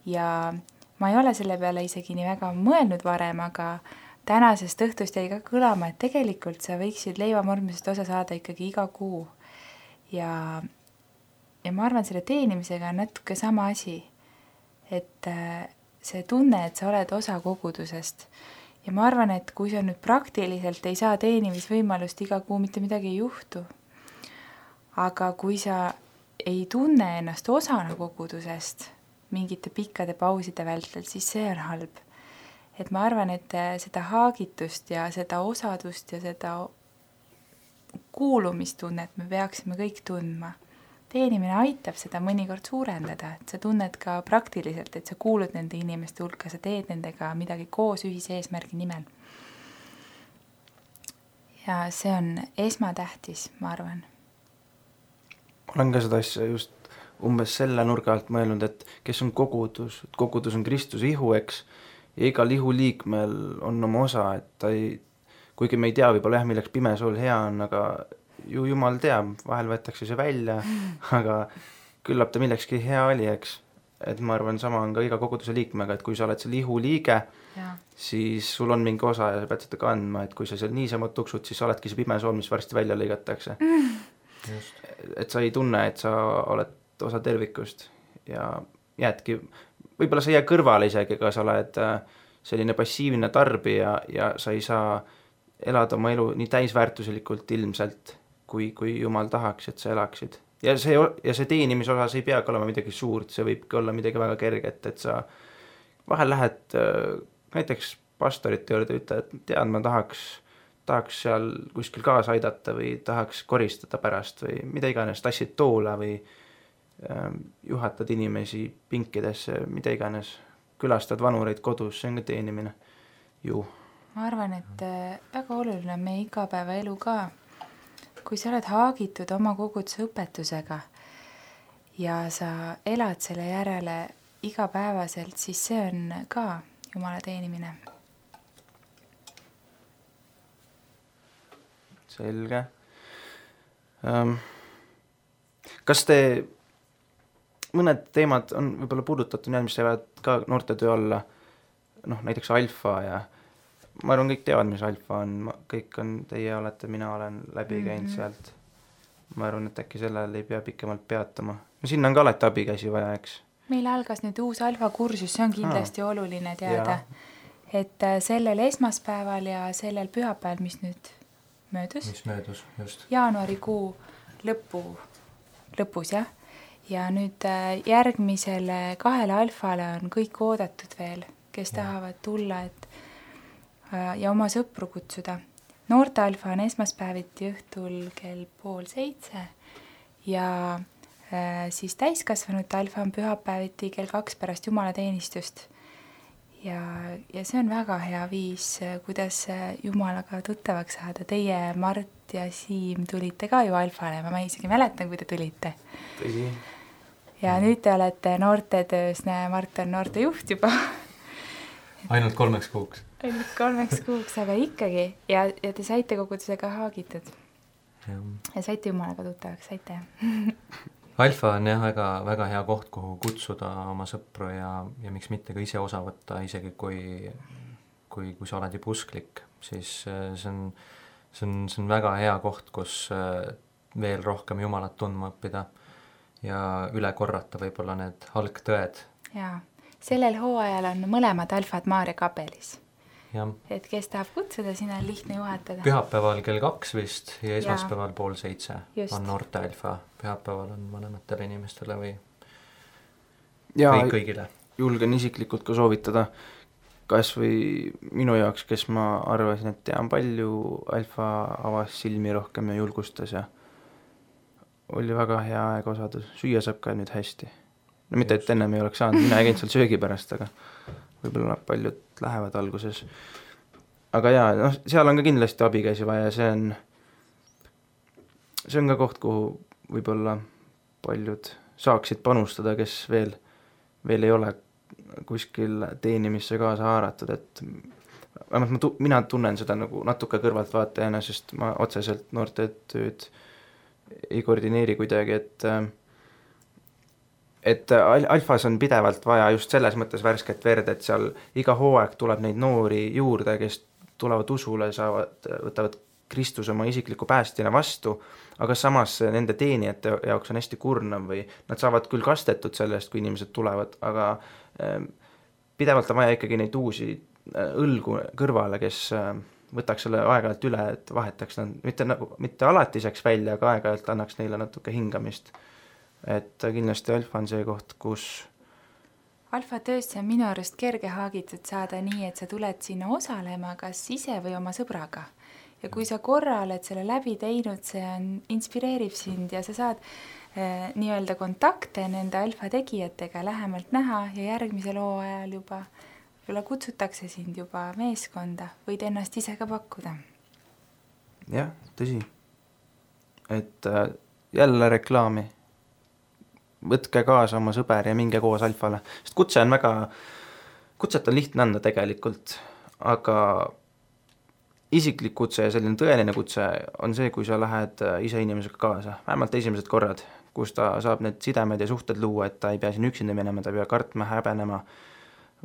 Ja ma ei ole selle peale isegi nii väga mõelnud varem, aga tänasest õhtust jäi ka kõlama, et tegelikult sa võiksid leivamurdmisest osa saada ikkagi iga kuu. Ja ma arvan, selle teenimisega on natuke sama asi, et see tunne, et sa oled osa kogudusest. Ja ma arvan, et kui sa nüüd praktiliselt ei saa teenimisvõimalust iga kuu, mitte midagi ei juhtu. Aga kui sa ei tunne ennast osana kogudusest mingite pikkade pauside vältel, siis see on halb. Et ma arvan, et seda haagitust ja seda osadust ja seda kuulumistunnet me peaksime kõik tundma. Teenimine aitab seda mõnikord suurendada, et sa tunned ka praktiliselt, et sa kuulud nende inimeste hulka, sa teed nendega midagi koos ühise eesmärgi nimel. Ja see on esmatähtis, ma arvan. Olen ka seda asja just umbes selle nurga alt mõelnud, et kes on kogudus? Kogudus on Kristuse ihu, eks? Ja igal ihuliikmel on oma osa, et ta ei, kuigi me ei tea võib-olla milleks pimesool hea on, aga ju Jumal teab, vahel võetakse see välja, aga küllap ta millekski hea oli, eks. Et ma arvan, sama on ka iga koguduse liikmega, et kui sa oled seal ihuliige, siis sul on mingi osa ja sa pead seda kandma, et kui sa seal niisama tuksud, siis sa oledki see pimesool, mis varsti välja lõigatakse. Et sa ei tunne, et sa oled osa tervikust ja jäädki võib-olla sa jää kõrvale isegi, aga sa oled selline passiivne tarbija ja sa ei saa elada oma elu nii täisväärtuslikult ilmselt, kui Jumal tahaks, et sa elaksid. Ja see teenimisosas ei peagi olema midagi suurt, see võibki olla midagi väga kerget, et sa vahel lähed näiteks pastorite juurde, ütled, et tead, ma tahaks seal kuskil kaasa aidata või tahaks koristada pärast või mida iganes, tassid toola või juhatad inimesi pinkidesse, mida iganes, külastad vanureid kodus, see on ka teenimine ju. Ma arvan, et väga oluline on meie igapäeva elu ka. Kui sa oled haagitud oma koguduse õpetusega ja sa elad selle järele igapäevaselt, siis see on ka Jumala teenimine. Selge. Kas te mõned teemad on võib-olla puudutatud, mis jäävad ka noortetöö alla, näiteks alfa ja ma arvan, kõik teavad, mis alfa on, kõik on, teie olete, mina olen läbi käinud sealt. Ma arvan, et äkki sellel ei pea pikemalt peatama. No sinna on ka alati abikäsi vaja, eks? Meil algas nüüd uus alfa kursus, see on kindlasti oluline teada. et sellel esmaspäeval ja sellel pühapäeval, mis nüüd möödus, just. Jaanuarikuu lõpus, jah. Ja nüüd järgmisele 2 alfale on kõik oodatud veel, kes tahavad tulla ja oma sõpru kutsuda. Noorte alfa on esmaspäeviti õhtul kell 6:30 ja siis täiskasvanute alfa on pühapäeviti kell 2 pärast jumalateenistust. Ja see on väga hea viis, kuidas Jumalaga tuttavaks saada. Teie, Mart ja Siim tulite ka ju alfale, ma isegi mäletan, kui te tulite. Tõsi. Ja nüüd te olete noortetöös, Mart on noortejuht juba. Ainult 3 kuuks. Ainult 3 kuuks, aga ikkagi. Ja te saite kogudusega haagitud. Ja saite Jumalaga tuttavaks, saite. Alfa on jah väga, väga hea koht, kuhu kutsuda oma sõpru ja miks mitte ka ise osa võtta, isegi kui sa oled juba usklik, siis see on väga hea koht, kus veel rohkem Jumalat tundma õppida ja üle korrata võib-olla need algtõed. Jaa, sellel hooajal on mõlemad alfad Maarja kapelis. Ja. Et kes tahab kutsuda, sinna on lihtne juhatada. Pühapäeval kell 2 vist ja esmaspäeval 6:30 on noorte alfa. Pühapäeval on vanematele inimestele või kõigile. Julgen isiklikult ka soovitada, kas või minu jaoks, kes ma arvasin, et tean palju, alfa avas silmi rohkem ja julgustas ja oli väga hea aeg osadus. Süüa saab ka nüüd hästi. No mitte, et ennem ei oleks saanud, mina ei käinud seal söögi pärast, aga võib-olla paljud lähevad alguses. Aga jaa, seal on ka kindlasti abikäsi vaja ja see on ka koht, kuhu võib-olla paljud saaksid panustada, kes veel ei ole kuskil teenimisse kaasa haaratud, et mina tunnen seda nagu natuke kõrvaltvaatajana, sest ma otseselt noorte tööd ei koordineeri kuidagi, et alfas on pidevalt vaja just selles mõttes värsket verd, et seal iga hooaeg tuleb neid noori juurde, kes tulevad usule, võtavad Kristus oma isikliku päästina vastu, aga samas nende teenijate jaoks on hästi kurnav või nad saavad küll kastetud sellest, kui inimesed tulevad, aga pidevalt on vaja ikkagi neid uusi õlgu kõrvale, kes võtaks selle aeg-ajalt üle, et vahetaks nad mitte alatiseks välja, aga aeg-ajalt annaks neile natuke hingamist. Et kindlasti alfa on see koht, kus alfa töösse on minu arust kerge haagitud saada nii, et sa tuled sinna osalema kas ise või oma sõbraga. Ja kui sa korra oled selle läbi teinud, see inspireerib sind ja sa saad nii-öelda kontakte nende alfa tegijatega lähemalt näha ja järgmisel hooajal juba kutsutakse sind juba meeskonda, võid ennast ise ka pakkuda. Jah, tõsi. Et jälle reklaami. Võtke kaasa oma sõber ja minge koos alfale. Sest kutset on lihtne anda tegelikult, aga isiklik kutse ja selline tõeline kutse on see, kui sa lähed ise inimesega kaasa. Vähemalt esimesed korrad, kus ta saab need sidemed ja suhted luua, et ta ei pea siin üksinda minema, ta ei pea kartma, häbenema,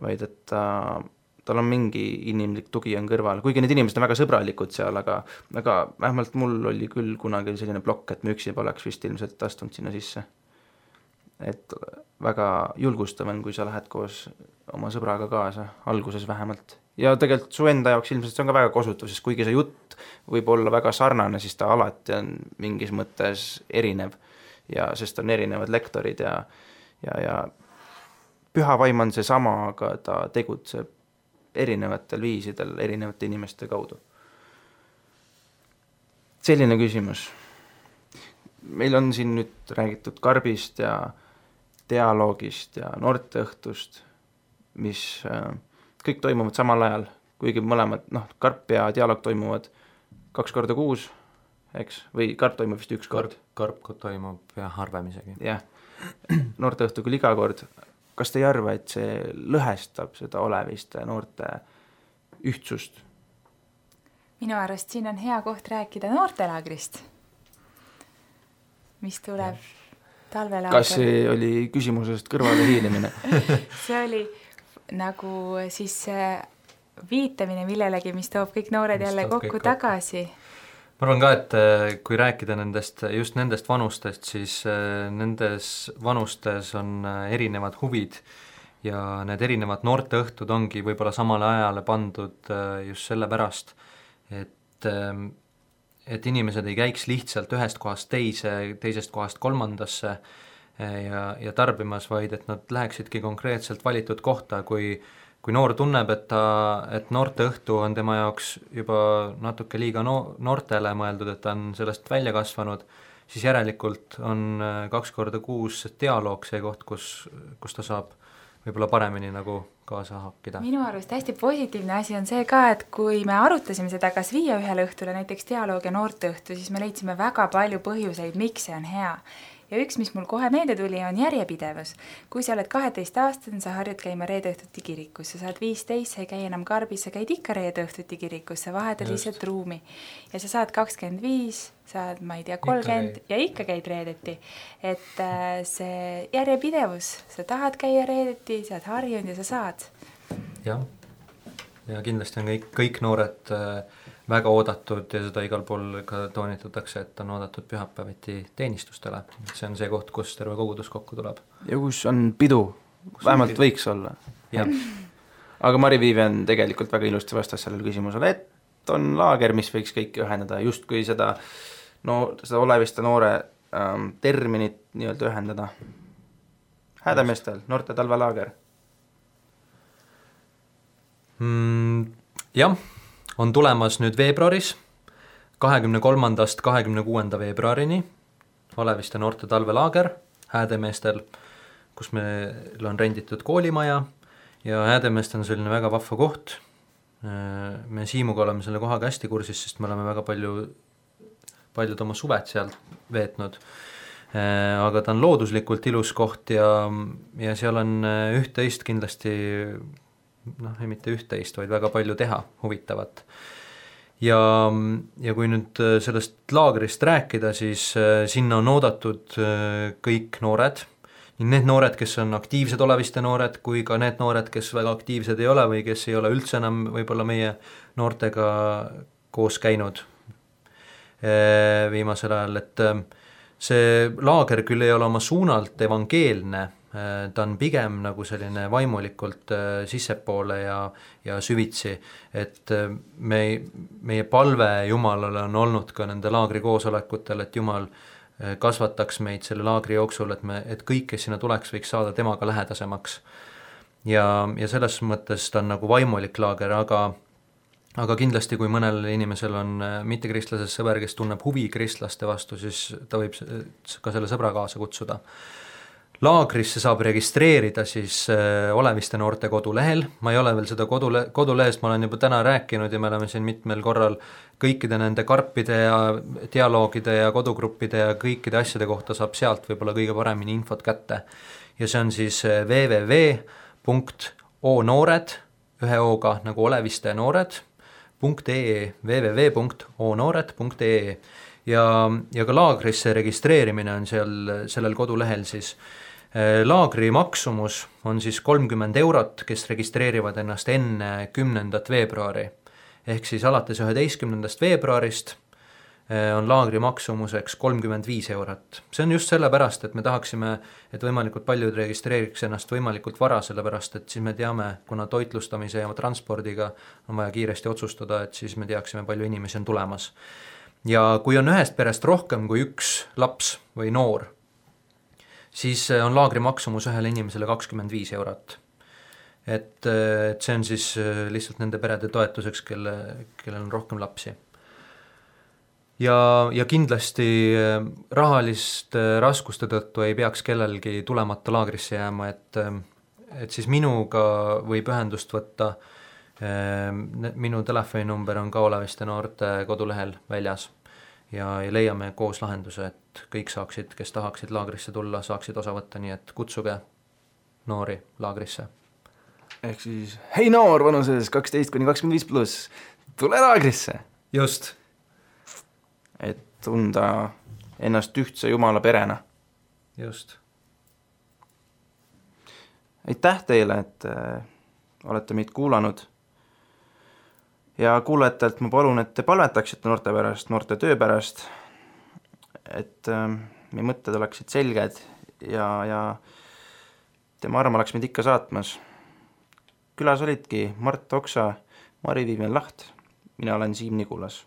vaid et tal on mingi inimlik tugi on kõrval. Kuigi need inimesed on väga sõbralikud seal, aga vähemalt mul oli küll kunagi selline plokk, et me üksi poleks vist ilmselt astunud sinna sisse. Et väga julgustav on, kui sa lähed koos oma sõbraga kaasa, alguses vähemalt. Ja tegelikult su enda jaoks ilmselt see on ka väga kosutav, sest kuigi see jutt võib olla väga sarnane, siis ta alati on mingis mõttes erinev ja sest on erinevad lektorid ja püha vaim on see sama, aga ta tegutseb erinevatel viisidel, erinevate inimeste kaudu. Selline küsimus. Meil on siin nüüd räägitud karbist ja dialoogist ja noorteõhtust, mis kõik toimuvad samal ajal, kuigi mõlemad, karp ja dialoog toimuvad 2 korda kuus, eks, või karp toimub vist 1 kord. Karp toimub ja harvem isegi. Jah, noorteõhtu küll iga kord. Kas te ei arva, et see lõhestab seda oleviste noorte ühtsust? Minu arust siin on hea koht rääkida noortelaagrist, mis tuleb talvelaager. Kas see oli küsimusest kõrvale hiilimine? See oli nagu siis viitamine millelegi, mis toob kõik noored jälle kokku tagasi. Ma arvan ka, et kui rääkida just nendest vanustest, siis nendes vanustes on erinevad huvid ja need erinevad noorteõhtud ongi võib-olla samale ajale pandud just sellepärast, et inimesed ei käiks lihtsalt ühest kohast teisest kohast kolmandasse ja tarbimas, vaid et nad läheksidki konkreetselt valitud kohta, kui noor tunneb, et noorteõhtu on tema jaoks juba natuke liiga noortele mõeldud, et ta on sellest välja kasvanud, siis järelikult on 2 korda kuus dialoog see koht, kus ta saab võib-olla paremini nagu kaasa hakkida. Minu arust hästi positiivne asi on see ka, et kui me arutasime seda, kas viia ühele õhtule näiteks dialoog ja noorteõhtu, siis me leidsime väga palju põhjuseid, miks see on hea. Ja üks, mis mul kohe meelde tuli, on järjepidevus. Kui sa oled 12-aastane, sa harjud käima reedeõhtuti kirikus, sa saad 15, sa ei käi enam karbis, sa käid ikka reedeõhtuti kirikus, sa vahetad lihtsalt ruumi. Ja sa saad 25, saad, ma ei tea, 30 ja ikka käid reedeti. Et see järjepidevus, sa tahad käia reedeti, sa oled harjunud ja sa saad. Jah, ja kindlasti on kõik noored väga oodatud ja seda igal pool ka toonitatakse, et on oodatud pühapäeviti teenistustele. See on see koht, kus terve kogudus kokku tuleb. Ja kus on pidu, vähemalt võiks olla. Aga Mari-Viivian tegelikult väga ilusti vastas sellele küsimusele, et on laager, mis võiks kõiki ühendada, just kui seda Oleviste noore terminit nii-öelda ühendada. Häädemeestel, noorte talvelaager. Jah, on tulemas nüüd veebruaris, 23. 26. veebruarini Oleviste noorte talvelaager Häädemeestel, kus meil on renditud koolimaja ja Häädemeest on selline väga vahva koht. Me Siimuga oleme selle kohaga hästi kursis, sest me oleme väga paljud oma suved seal veetnud. Aga ta on looduslikult ilus koht ja seal on üht-teist kindlasti ei mitte üht-teist, vaid väga palju teha huvitavat. Ja kui nüüd sellest laagrist rääkida, siis sinna on oodatud kõik noored, nii need noored, kes on aktiivsed Oleviste noored, kui ka need noored, kes väga aktiivsed ei ole või kes ei ole üldse enam võib-olla meie noortega koos käinud viimasel ajal, et see laager küll ei ole oma suunalt evangeelne, ta on pigem nagu selline vaimulikult sissepoole ja süvitsi, et meie palve Jumalale on olnud ka nende laagri koosolekutel, et Jumal kasvataks meid selle laagri jooksul, et kõik, kes sinna tuleks, võiks saada temaga lähedasemaks. Ja selles mõttes ta on nagu vaimulik laager, aga kindlasti, kui mõnel inimesel on mittekristlases sõber, kes tunneb huvi kristlaste vastu, siis ta võib ka selle sõbra kaasa kutsuda. Laagrisse saab registreerida siis Oleviste noorte kodulehel. Ma ei ole veel seda kodulehest, ma olen juba täna rääkinud ja me oleme siin mitmel korral kõikide nende karpide ja dialoogide ja kodugruppide ja kõikide asjade kohta saab sealt võib-olla kõige paremini infot kätte. Ja see on siis www.onoored, ühe O-ga nagu Oleviste noored.ee, www.onoored.ee ja ka laagrisse registreerimine on sellel kodulehel siis. Laagri maksumus on siis 30 €, kes registreerivad ennast enne 10. veebruari. Ehk siis alates 11. veebruarist on laagri maksumuseks 35 €. See on just sellepärast, et me tahaksime, et võimalikult paljud registreeriks ennast võimalikult vara, sellepärast et siis me teame, kuna toitlustamise ja transpordiga on vaja kiiresti otsustada, et siis me teaksime, palju inimesi on tulemas. Ja kui on ühest perest rohkem kui üks laps või noor, siis on laagri maksumus ühele inimesele 25 €. Et see on siis lihtsalt nende perede toetuseks, kellel on rohkem lapsi. Ja kindlasti rahaliste raskuste tõttu ei peaks kellelgi tulemata laagrisse jääma, et siis minuga võib ühendust võtta. Minu telefoninumber on ka Oleviste noorte kodulehel väljas ja leiame koos lahenduse, et kõik saaksid, kes tahaksid laagrisse tulla, saaksid osa võtta, nii et kutsuge noori laagrisse. Ehk siis, hei noor vanuses 12–25+, tule laagrisse. Just. Et tunda ennast ühtse Jumala perena. Just. Aitäh teile, et olete meid kuulanud. Ja kuulajatelt ma palun, et te palvetaksite noorte pärast, noorte töö pärast, et meie mõtted oleksid selged ja tema arma läks meid ikka saatmas. Külas olidki Mart Oksa, Mari-Viivian Laht, mina olen Siim Nigulas.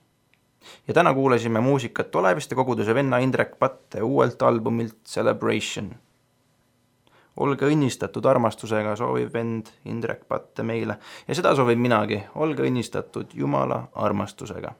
Ja täna kuulasime muusikat Oleviste koguduse venna Indrek Patte uuelt albumilt Celebration. Olge õnnistatud armastusega, soovib vend Indrek Patte meile ja seda soovib minagi, olge õnnistatud Jumala armastusega.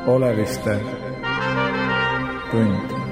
Oleviste tund.